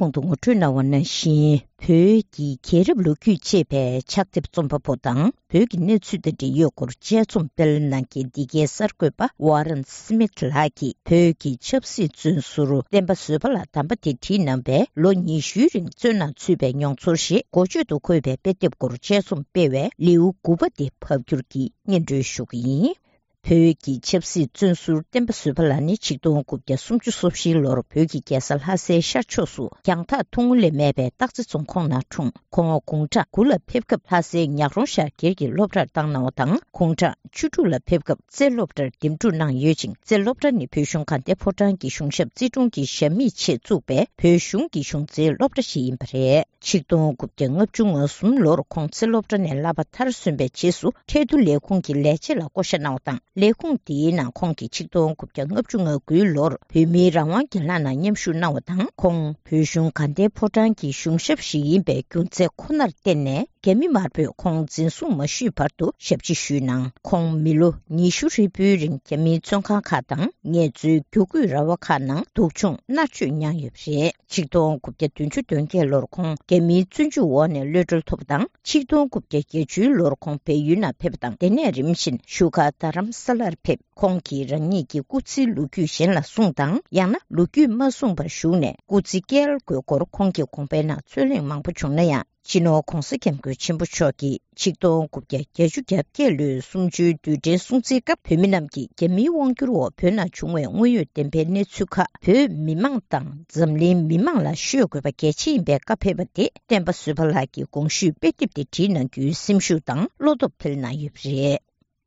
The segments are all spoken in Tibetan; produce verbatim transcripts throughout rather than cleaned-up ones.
གོང་དུ་ངོ་སྤྲོད་གནང་བ་ནང་བཞིན། བོད་ཀྱི་རྒྱལ་རབས་ལོ་རྒྱུས་ཅེས་པའི་ཕྱག་དེབ་རྩོམ་པ་པོ་དང་། བོད་ཀྱི་གནས་ཚུལ་དང་འབྲེལ་ཡོད་སྐོར་དཔྱད་རྩོམ་སྤེལ་གནང་མཁན་འདི་གའི་གསར་འགོད་པ་ཝ་རན་སི་མིད་ལགས་ཀྱིས། བོད་ཀྱི་ཆབ་སྲིད་བཙོན་ཟུར་བསྟན་པ་བཟོད་པ་ལགས་དམ་པ་དེ་བྲིས་གནང་བའི་ལོ་ཉི་ཤུའི་རིང་བཙོན་ནང་ཚུད་པའི་མྱོང་ཚོར་ཞེས་འགོ་བརྗོད་དུ་འཁོད་པའི་དཔེ་དེབ་སྐོར་དཔྱད་རྩོམ་སྤེལ་བའི་ལེའུ་དགུ་པ་དེ་ཕབ་སྒྱུར་གྱིས་སྙན་སྒྲོན་ཞུ་གི་ཡིན། བོད་ཀྱི་ཆབ་སྲིད་བཙོན་ཟུར་བསྟན་པ་བཟོད་པ་ལགས་ནི་ཆིག་སྟོང་དགུ་བརྒྱ་སུམ་ཅུ་སོ་བཞིའི་ལོར་བོད་ཀྱི་རྒྱལ་ས་ལྷ་སའི་ཤར་ཕྱོགས་སུ་རྒྱང་ཐག་ཐུང་ངུ་ལས་མེད་པའི་སྟག་རྩེ་རྫོང་ཁོངས་ནང་འཁྲུངས། ཁོང་དགུང་གྲངས་དགུ་ལ་ཕེབས་སྐབས་ལྷ་སའི་ཉག་རོང་ཤར་སྒེར་གྱི་སློབ་གྲྭར་བཏང་གནང་བ་དང་། དགུང་གྲངས་བཅུ་དྲུག་ལ་ཕེབས་སྐབས་རྩེ་སློབ་གྲྭར་འདེམས་སྒྲུག་གནང་ཡོད་ཅིང་། རྩེ་སློབ་གྲྭ་ནི་བོད་གཞུང་དགའ་ལྡན་ཕོ་བྲང་གི་གཞུང་ཞབས་རྩིས་དྲུང་གི་ཞབས་མི་ཆེད་བཙུགས་པའི་བོད་གཞུང་གི་གཞུང་རྩེའི་སློབ་གྲྭ་ཞིག་ཡིན་པ་རེད། ཆིག་སྟོང་དགུ་བརྒྱ་ལྔ་བཅུ་ང་གསུམ་ལོར་ཁོང་རྩེ་སློབ་གྲྭ་ནས་བསླབ་པ་མཐར་སོན་པའི་རྗེས་སུ། ཁྲལ་བསྡུ་ལས་ཁུངས་ཀྱི་ལས་བྱེད་ལ་བསྐོ་བཞག་གནང་བ་དང་། ལས་ཁུངས་དེའི་ནང་ཁོང་གིས་ཆིག་སྟོང་དགུ་བརྒྱ་ལྔ་བཅུ་ང་དགུའི་ལོར་བོད་མིའི་རང་དབང་སྒེར་ལངས་ནང་མཉམ་ཞུགས་གནང་བ་དང་། ཁོང་བོད་གཞུང་དགའ་ལྡན་ཕོ་བྲང་གི་གཞུང་ཞབས་ཤིག་ཡིན་པའི་རྒྱུ་མཚན་ཁོ་ནར་བརྟེན་ནས། རྒྱ་མི་དམར་པོས་ཁོང་འཛིན་བཟུང་མ་ཞུས་བར་དུ་ཞབས་ཕྱི་ཞུས་གནང་། ཁོང་མི་ལོ་ཉི་ཤུ་ཧྲིལ་པོའི་རིང་རྒྱ་མིའི་བཙོན་ཁང་ཁག་དང་། ངལ་རྩོལ་རྒྱུ་སྐུད་ར་བ་ཁག་ནང་སྡུག་སྦྱོང་མནར་གཅོད་མྱངས་ཡོད་པ་རེད། ཆིག་སྟོང་དགུ་བརྒྱ་བདུན་ཅུ་དོན་བརྒྱད་ལོར་ཁོང་རྒྱ་མིའི་བཙོན་འཇུག་འོག་ནས་གློད་གྲོལ་ཐོབ་པ་དང་། ཆིག་སྟོང་དགུ་བརྒྱ་བརྒྱད་ཅུའི་ལོར་ཁོང་བལ་ཡུལ་ནང་ཕེབས་པ་དང་། དེ་ནས་རིམ་བཞིན་བཞུགས་སྒར་རྡ་རམ་ས་ལར་ཕེབས། ཁོང་གིས་རང་ཉིད་ཀྱི་སྐུ་ཚེའི་ལོ་རྒྱུས་གཞན་ལ་གསུངས་དང་། ཡང་ན་ལོ་རྒྱུས་མ་གསུངས་པར་བཞུགས་ནས་སྐུ་ཚེ་བསྐྱལ་དགོས་སྐོར་ཁོང་གི་དགོངས་པའི་ནང་རྩོད་གླེང་མང་པོ་བྱུང་ན་ཡང་། སྤྱི་ནོར་༧གོང་ས་༧སྐྱབས་མགོན་ཆེན་པོ་མཆོག་གིས་ཆིག་སྟོང་དགུ་བརྒྱ་བརྒྱད་ཅུ་གྱ་བརྒྱད་ལོའི་གསུམ་བཅུའི་རྡུལ་ཕྲན་སྲུང་བརྩིའི་སྐབས། བོད་མི་རྣམས་ཀྱིས་རྒྱ་མིའི་དབང་བསྒྱུར་འོག་བོད་ནང་བྱུང་བའི་དངོས་ཡོད་བདེན་པའི་གནས་ཚུལ་ཁག་བོད་མི་མང་དང་འཛམ་གླིང་མི་མང་ལ་ཤོད་དགོས་པ་གལ་ཆེ་ཡིན་པའི་བཀའ་ཕེབས་པ་དེ། བསྟན་པ་བཟོད་པ་ལགས་ཀྱི་དགོངས་ཞུས་དཔེ་དེབ་དེ་བྲིས་གནང་རྒྱུའི་སེམས་ཤུགས་དང་བློ་སྟོབས་འཕེལ་གནང་ཡོད་པ་རེད།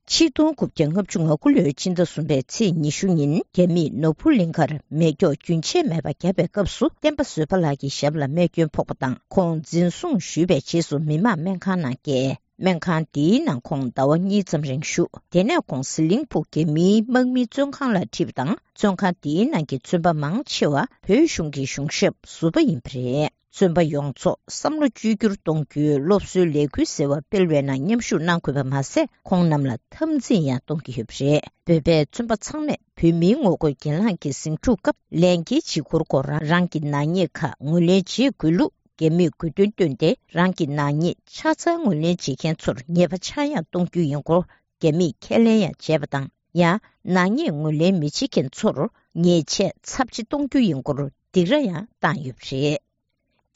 ཆིག་སྟོང་དགུ་བརྒྱ་ལྔ་བཅུ་ང་དགུ་ལོའི་ཕྱི་ཟླ་གསུམ་པའི་ཚེས་ཉི་ཤུ་ཉིན། རྒྱ་མིས་ནོར་བུ་གླིང་ཁར་མེ་སྒྱོགས་རྒྱུན་ཆད་མེད་པར་བརྒྱབ་པའི་སྐབས་སུ། བསྟན་པ་བཟོད་པ་ལགས་ཀྱི་ཞབས་ལ་རྨས་སྐྱོན་ཕོག་པ་དང་། ཁོང་འཛིན་བཟུང་ཞུས་པའི་རྗེས་སུ་མི་མང་སྨན་ཁང་ནང་བསྐྱལ། སྨན་ཁང་དེའི་ནང་ཁོང་ཟླ་བ་གཉིས་ཙམ་རིང་བཞུགས། དེ་ནས་ཁོང་ཟི་ལིང་ཕུག་རྒྱ་མིའི་དམག་མིའི་བཙོན་ཁང་ལ་ཁྲིད་པ་དང་། བཙོན་ཁང་དེའི་ནང་གི་བཙོན་པ་མང་ཆེ་བ་བོད་གཞུང་གི་གཞུང་ཞབས་ཟུར་པ་ཡིན་པ་རེད། བཙོན་པ་ཡོངས་རྫོགས་བསམ་བློ་བཅོས་བསྒྱུར་གཏོང་རྒྱུའི་སློབ་གསོའི་ལས་འགུལ་ཟེར་བ་སྤེལ་བའི་ནང་མཉམ་ཞུགས་གནང་དགོས་པ་མ་ཟད། ཁོང་རྣམས་ལ་འཐབ་འཛིང་ཡང་གཏོང་གི་ཡོད་པ་རེད། བོད་པའི་བཙོན་པ་ཚང་མས་བོད་མིའི་ངོ་རྒོལ་གྱེན་ལངས་ཀྱི་ཟིང་འཁྲུག་སྐབས། ལས་འགན་བྱེད་ཁུར་སྐོར་རང་རང་གི་ནག་ཉེས་ཁག་ངོས་ལེན་བྱེད་དགོས་ལུགས་རྒྱ་མིས་དགོས་འདུན་བཏོན་ཏེ། རང་གི་ནག་ཉེས་ཆ་ཚང་ངོས་ལེན་བྱེད་མཁན་ཚོར་ཉེས་པ་ཆག་ཡང་གཏོང་རྒྱུ་ཡིན་སྐོར་རྒྱ་མིས་ཁས་ལེན་ཡང་བྱས་པ་དང་། ཡང་ནག་ཉེས་ངོས་ལེན་མི་བྱེད་མཁན་ཚོར་ཉེས་ཆད་ཚབས་ཆེ་གཏོང་རྒྱུ་ཡིན་སྐོར་སྡིགས་ར་ཡང་བཏང་ཡོད་པ་རེད།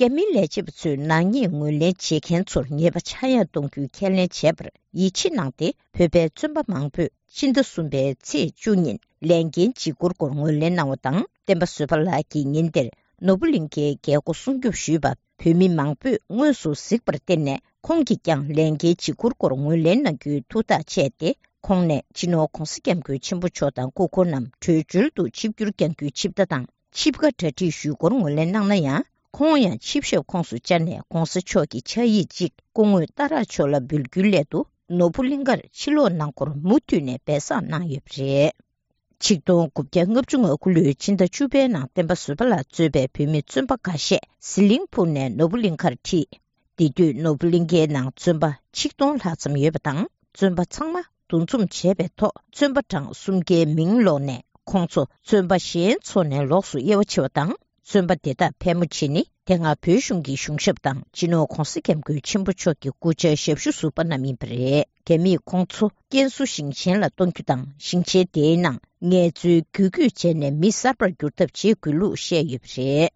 རྒྱ་མིའི་ལས་བྱེད་པ་ཚོས་ནག་ཉེས་ངོས་ལེན་བྱེད་མཁན་ཚོར་ཉེས་པ་ཆག་ཡང་གཏོང་རྒྱུའི་ཁས་ལེན་བྱས་པར་ཡིད་ཆེས་གནང་སྟེ། བོད་པའི་བཙོན་པ་མང་པོས་ཕྱི་ཟླ་གསུམ་པའི་ཚེས་བཅུ་ཉིན་ལས་འགན་བྱེད་ཁུར་སྐོར་ངོས་ལེན་གནང་བ་དང་། བསྟན་པ་བཟོད་པ་ལགས་ཀྱིས་ཉིན་དེར་ནོར་བུ་གླིང་ཁའི་རྒྱལ་སྒོ་སྲུང་སྐྱོབ་ཞུས་པ། བོད་མི་མང་པོས་དངོས་སུ་གཟིགས་པར་བརྟེན་ནས། ཁོང་གིས་ཀྱང་ལས་འགན་བྱེད་ཁུར་སྐོར་ངོས་ལེན་གནང་རྒྱུའི་ཐུགས་ཐག་བཅད་དེ། ཁོང་ནས་སྤྱི་ནོར་༧གོང་ས་༧སྐྱབས་མགོན་ཆེན་པོ་མཆོག་དང་སྐུ་འཁོར་རྣམས་བྲོས་བྱོལ་དུ་ཆིབས་བསྒྱུར་བསྐྱང་རྒྱུའི་ཆིབས་རྟ་དང་ཆིབས་ཁ་གྲ་སྒྲིག་ཞུས་སྐོར་ངོས་ལེན་གནང་ན་ཡང་། ཁོང་ཡང་ཆིབས་ཞབས་ཁོངས་སུ་བཅར་ནས་༧གོང་ས་མཆོག་གི་ཕྱག་ཡིག་ཅིག་སྐུ་ངོ་རྟ་རག་མཆོག་ལ་འབུལ་རྒྱུའི་སླད་དུ། ནོར་བུ་གླིང་ཁར་ཕྱིར་ལོག་གནང་སྐོར་མུ་མཐུད་ནས་སྦས་གསང་གནང་ཡོད་པ་རེད། ཆིག་སྟོང་དགུ་བརྒྱ་ལྔ་བཅུ་ང་དགུ་ལོའི་ཕྱི་ཟླ་བཅུ་པའི་ནང་བསྟན་པ་བཟོད་པ་ལགས་གཙོས་པའི་བོད་མི་བཙོན་པ་འགའ་ཤས་ཟི་ལིང་ཕུག་ནས་ནོར་བུ་གླིང་ཁར་ཁྲིད། དེ་དུས་ནོར་བུ་གླིང་ཁའི་ནང་བཙོན་པ་ཆིག་སྟོང་ལྷག་ཙམ་ཡོད་པ་དང་། བཙོན་པ་ཚང་མ་འདུ་འཛོམས་བྱས་པའི་ཐོག་བཙོན་པ་གྲངས་སུམ་བརྒྱའི་མིང་ཀློག་ནས། ཁོང་ཚོ་བཙོན་པ་གཞན་ཚོ་ནས་ལོགས་སུ་དབྱེ་བ་ཕྱེ་བ་དང་། བཙོན་པ་དེ་དག་ཕལ་མོ་ཆེ་ནི་དེ་སྔ་བོད་གཞུང་གི་གཞུང་ཞབས་དང་སྤྱི་ནོར་༧གོང་ས་༧སྐྱབས་མགོན་ཆེན་པོ་མཆོག་གི་སྐུ་ཕྱྭའི་ཞབས་ཞུ་ཟུར་པ་རྣམས་ཡིན་པ་རེད། རྒྱ་མིས་ཁོང་ཚོ་ཀན་སུའུ་ཞིང་ཆེན་ལ་གཏོང་རྒྱུ་དང་། ཞིང་ཆེན་དེའི་ནང་ངལ་རྩོལ་རྒྱུ་སྐུད་བྱས་ནས་མི་གསར་པར་འགྱུར་ཐབས་བྱེད་དགོས་ལུགས་བཤད་ཡོད་པ་རེད།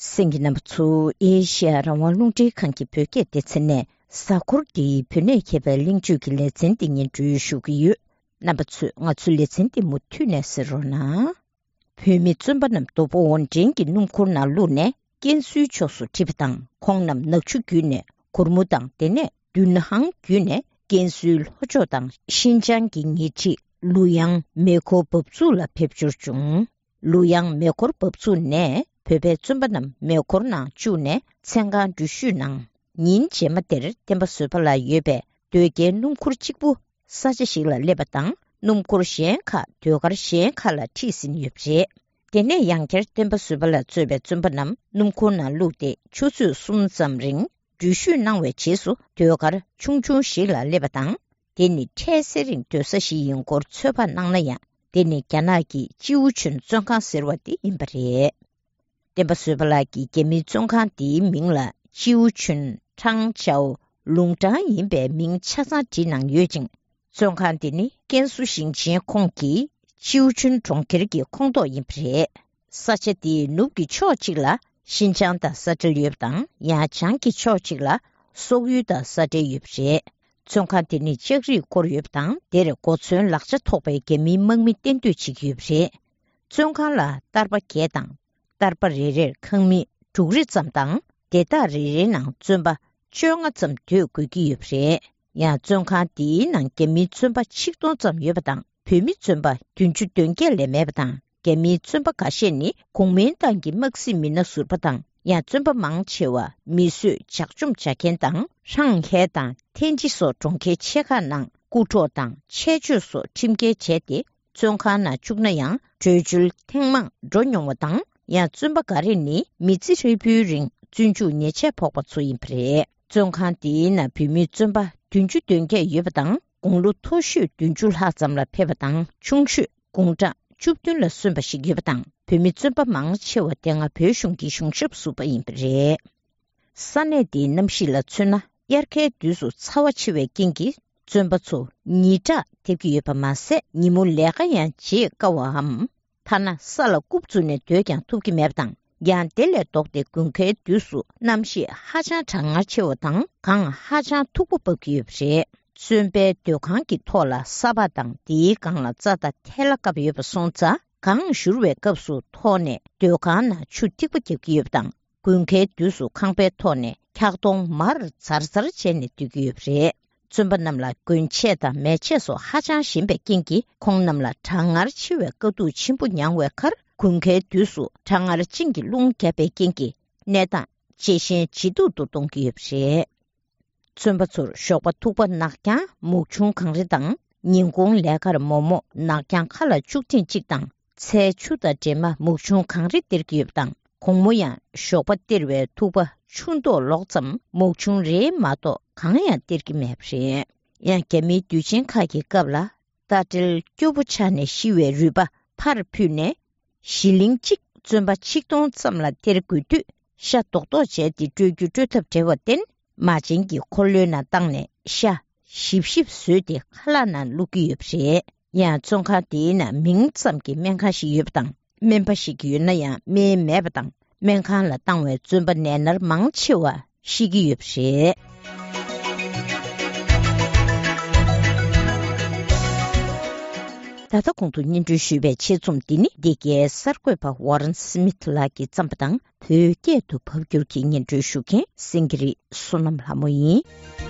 གསན་མཁན་རྣམ་པ་ཚོ། ཨེ་ཤེ་ཡ་རང་དབང་རླུང་འཕྲིན་ཁང་གི་བོད་སྐད་སྡེ་ཚན་ནས་གཟའ་འཁོར་འདིའི་བོད་གནས་མཁས་པའི་གླེང་བརྗོད་ཀྱི་ལེ་ཚན་འདི་སྙན་སྒྲོན་ཞུ་གི་ཡོད། རྣམ་པ་ཚོས་ང་ཚོའི་ལེ་ཚན་འདི་མུ་མཐུད་ནས་གསན་རོགས་གནང་། བོད་མི་བཙོན་པ་རྣམས་དོ་པོ་ཝོན་ཀྲེན་གྱི་སྣུམ་འཁོར་ནང་བླུགས་ནས་ཀན་སུའུའི་ཕྱོགས་སུ་ཁྲིད་པ་དང་། ཁོང་རྣམས་ནག་ཆུ་བརྒྱུད་ནས་གུར་མུ་དང་། དེ་ནས་དུན་ཧང་བརྒྱུད་ནས་ཀན་སུའུའི་ལྷོ་ཕྱོགས་དང་ཤིན་ཅང་གི་ཉེ་འཁྲིས་ལུ་དབྱང་མེ་འཁོར་འབབ་ཚུགས་ལ་ཕེབས་འབྱོར་བྱུང་། ལུ་དབྱང་མེ་འཁོར་འབབ་ཚུགས་ནས་བོད་པའི་བཙོན་པ་རྣམས་མེ་འཁོར་ནང་བཅུག་ནས་མཚན་གང་འགྲུལ་བཞུད་གནང་། ཉིན་རྗེས་མ་དེར་བསྟན་པ་བཟོད་པ་ལགས་ཡོད་པའི་སྡོད་སྐྱེལ་སྣུམ་འཁོར་གཅིག་པུ་ས་ཆ་ཞིག་ལ་སླེབས་པ་དང་། སྣུམ་འཁོར་གཞན་ཁག་ཟློས་གར་གཞན་ཁག་ལ་ཁྲིད་ཟིན་ཡོད་པ་རེད། དེ་ནས་ཡང་བསྐྱར་བསྟན་པ་བཟོད་པ་ལ་གཙོས་པའི་བཙོན་པ་རྣམས་སྣུམ་འཁོར་ནང་བླུགས་ཏེ་ཆུ་ཚོད་གསུམ་ཙམ་རིང་འགྲུལ་བཞུད་གནང་བའི་རྗེས་སུ། ཟློས་གར་ཆུང་ཆུང་ཞིག་ལ་སླེབས་པ་དང་། དེ་ནི་འཕྲལ་སེལ་རིང་སྡོད་ས་ཞིག་ཡིན་སྐོར་ཚོད་དཔག་གནང་ན་ཡང་། དེ་ནི་རྒྱ་ནག་གི་ཅིའུ་ཆུན་བཙོན་ཁང་ཟེར་བ་དེ་ཡིན་པ་རེད། བསྟན་པ་བཟོད་པ་ལགས་ཀྱིས་རྒྱ་མིའི་བཙོན་ཁང་འདིའི་མིང་ལ་ཅིའུ་ཆུན་ཁྲང་ཅའོ་ལུང་ཀྲང་ཡིན་པའི་མིང་ཆ་ཚང་བྲིས་གནང་ཡོད་ཅིང་། བཙོན་ཁང་འདི་ནི་ཀན་སུའུ་ཞིང་ཆེན་ཁོངས་ཀྱི་ཅིའུ་ཆུན་གྲོང་ཁྱེར་གྱི་ཁོངས་གཏོགས་ཡིན་པ་རེད། ས་ཆ་འདིའི་ནུབ་ཀྱི་ཕྱོགས་གཅིག་ལ་ཤིན་ཅང་དང་ས་འབྲེལ་ཡོད་པ་དང་། ཡང་བྱང་གི་ཕྱོགས་གཅིག་ལ་སོག་ཡུལ་དང་ས་འབྲེལ་ཡོད་པ་རེད། བཙོན་ཁང་དེ་ནི་ལྕགས་རིས་བསྐོར་ཡོད་པ་དང་། དེར་གོ་མཚོན་ལག་ཆ་ཐོགས་པའི་རྒྱ་མིའི་དམག་མི་གཏན་སྡོད་བྱེད་ཀྱི་ཡོད་པ་རེད། བཙོན་ཁང་ལ་ཏར་པ་བརྒྱད་དང་། ཏར་པ་རེ་རེར་ཁང་མིག་དྲུག་རེ་ཙམ་དང་། སྡེ་བདག་རེ་རེའི་ནང་བཙོན་པ་བཅོ་ལྔ་ཙམ་སྡོད་དགོས་ཀྱི་ཡོད་པ་རེད། ཡང་བཙོན་ཁང་དེའི་ནང་རྒྱ་མིའི་བཙོན་པ་ཆིག་སྟོང་ཙམ་ཡོད་པ་དང་། བོད་མི་བཙོན་པ་བདུན་ཅུ་དོན་བརྒྱད་ལས་མེད་པ་དང་། རྒྱ་མིའི་བཙོན་པ་འགའ་ཤས་ནི་གོང་མའི་ཏང་གི་དམག་སྲིད་མི་སྣ་ཟུར་པ་དང་། ཡང་བཙོན་པ་མང་ཆེ་བ་མིས་བཟོས་ཇག་བཅོམ་བྱ་མཁན་དང་། ཧྲང་ཧའེ་དང་ཐན་ཅི་སོགས་གྲོང་ཁྱེར་ཆེ་ཁག་ནང་རྐུ་འཕྲོག་དང་ཆེད་སྤྱོད་སོགས་ཁྲིམས་འགལ་བྱས་ཏེ། བཙོན་ཁང་ནང་བཅུག་ན་ཡང་བྲོས་བྱོལ་ཐེངས་མང་འགྲོ་མྱོང་བ་དང་། ཡང་བཙོན་པ་འགའ་རེ་ནི་མི་ཚེ་ཧྲིལ་པོའི་རིང་བཙོན་འཇུག་ཉེས་ཆད་ཕོག་པ་ཚོ་ཡིན་པ་རེད། བཙོན་ཁང་དེའི་ནང་བོད་མི་བཙོན་པ་བདུན་ཅུ་དོན་བརྒྱད་ཡོད་པ་དང་། དགུང་ལོ་མཐོ་ཤོས་བདུན་ཅུ་ལྷག་ཙམ་ལ་ཕེབས་པ་དང་། ཆུང་ཤོས་དགུང་གྲངས་བཅུ་བདུན་ལ་སོན་པ་ཞིག་ཡོད་པ་དང་། བོད་མི་བཙོན་པ་མང་ཆེ་བ་དེ་སྔ་བོད་གཞུང་གི་གཞུང་ཞབས་ཟུར་པ་ཡིན་པ་རེད། ས་གནས་འདིའི་གནམ་གཤིས་ལ་མཚོན་ན། དབྱར་ཁའི་དུས་སུ་ཚ་བ་ཆེ་བའི་རྐྱེན་གྱིས། བཙོན་པ་ཚོ་ཉི་དྲག་ཐེབས་ཀྱི་ཡོད་པ་མ་ཟད། ཉིན་མོ་ལས་ཀ་ཡང་བྱེད་དཀའ་བའམ། ཐ་ན་ས་ལ་རྐུབ་བཙུགས་ནས་སྡོད་ཀྱང་ཐུབ་ཀྱི་མེད་པ་དང་། ཡང་དེ་ལས་ལྡོག་སྟེ། དགུན་ཁའི་དུས་སུ་གནམ་གཤིས་ཧ་ཅང་གྲང་ངར་ཆེ་བ་དང་། གངས་ཧ་ཅང་མཐུག་པོ་འབབ་ཀྱི་ཡོད་པ་རེད། བཙོན་པའི་སྡོད་ཁང་གི་ཐོག་ལ་ས་ཕག་དང་། དེའི་སྒང་ལ་རྩྭ་དང་ཐལ་བ་བཀབ་ཡོད་པ་སོང་ཙང་། གངས་བཞུར་བའི་སྐབས་སུ་ཐོག་ནས་སྡོད་ཁང་ནང་ཆུ་ཐིགས་པ་བརྒྱབ་ཀྱི་ཡོད་པ་དང་། དགུན་ཁའི་དུས་སུ་ཁང་པའི་ཐོག་ནས་འཁྱག་སྡོང་མར་ཛར་ཛར་བྱས་ནས་སྡོད་ཀྱི་ཡོད་པ་རེད། བཙོན་པ་རྣམས་ལ་གྱོན་ཆས་དང་མལ་ཆས་སོགས་ཧ་ཅང་ཞན་པའི་རྐྱེན་གྱིས། ཁོང་རྣམས་ལ་གྲང་ངར་ཆེ་བའི་དཀའ་སྡུག་ཆེན་པོ་མྱངས་པའི་ཁར། དགུན་ཁའི་དུས་སུ་གྲང་ངར་ཅན་གྱི་རླུང་བརྒྱབ་པའི་རྐྱེན་གྱིས། གནས་སྟངས་ཇེ་ཞན་ཇེ་སྡུག་ཏུ་གཏོང་གི་ཡོད་པ་རེད། བཙོན་པ་ཚོར་ཞོགས་པ་ཐུག་པ་ནག་རྐྱང་། མུག་ཆུང་གངས་རི་དང་། ཉིན་གུང་ལས་ཀར་མོག་མོག་ནག་རྐྱང་ཁ་ལ་བཅུག་ཐེངས་གཅིག་དང་། ཚལ་ཆུ་དང་འདྲེས་མ་མུག་ཆུང་གངས་རི་སྟེར་གྱི་ཡོད་པ་དང་། དགོང་མོ་ཡང་ཞོགས་པ་སྟེར་བའི་ཐུག་པ་ཆུ་མདོག་ལོག་ཙམ་མུག་ཆུང་རེ་མ་གཏོགས་གང་ཡང་སྟེར་གྱི་མེད་པ་རེད། ཡང་རྒྱ་མིའི་དུས་ཆེན་ཁག་གི་སྐབས་ལ། རྟ་དྲེལ་སྐྱོ་པོ་ཆགས་ནས་ཤི་བའི་རུས་པ་ཕར་ཕུད་ནས། གཞི་གླིང་གཅིག་བཙོན་པ་ཆིག་སྟོང་ཙམ་ལ་སྟེར་དགོས་དུས། ཤ་རྡོག་རྡོག་བྱས་ཏེ་སྤྲོད་རྒྱུ་སྤྲོད་ཐབས་བྲལ་བར་བརྟེན། མ་བྱན་གྱི་འཁོར་ལོའི་ནང་བཏང་ནས། ཤ་ཞིབ་ཞིབ་བཟོས་ཏེ་ཁ་ལག་ནང་བླུགས་ཀྱི་ཡོད་པ་རེད། ཡང་བཙོན་ཁང་དེའི་ནང་མིང་ཙམ་གྱི་སྨན་ཁང་ཞིག་ཡོད་པ་དང་། སྨན་པ་ཞིག་ཡོད་ན་ཡང་སྨན་མེད་པ་དང་། སྨན་ཁང་ལ་བཏང་བའི་བཙོན་པ་ནད་མནར་མང་ཆེ་བ་ཤི་གི་ཡོད་པ་རེད། ད་ལྟ་གོང་དུ་སྙན་སྒྲོན་ཞུས་པའི་ཆེད་རྩོམ་འདི་ནི། འདི་གའི་གསར་འགོད་པ་ཝོ་རན་སི་མིཐ་ལགས་ཀྱིས་བརྩམས་པ་དང་། བོད་སྐད་དུ་ཕབ་སྒྱུར་གྱིས་སྙན་སྒྲོན་ཞུ་མཁན་སེང་གེ་རི་བསོད་ནམས་ལྷ་མོ་ཡིན།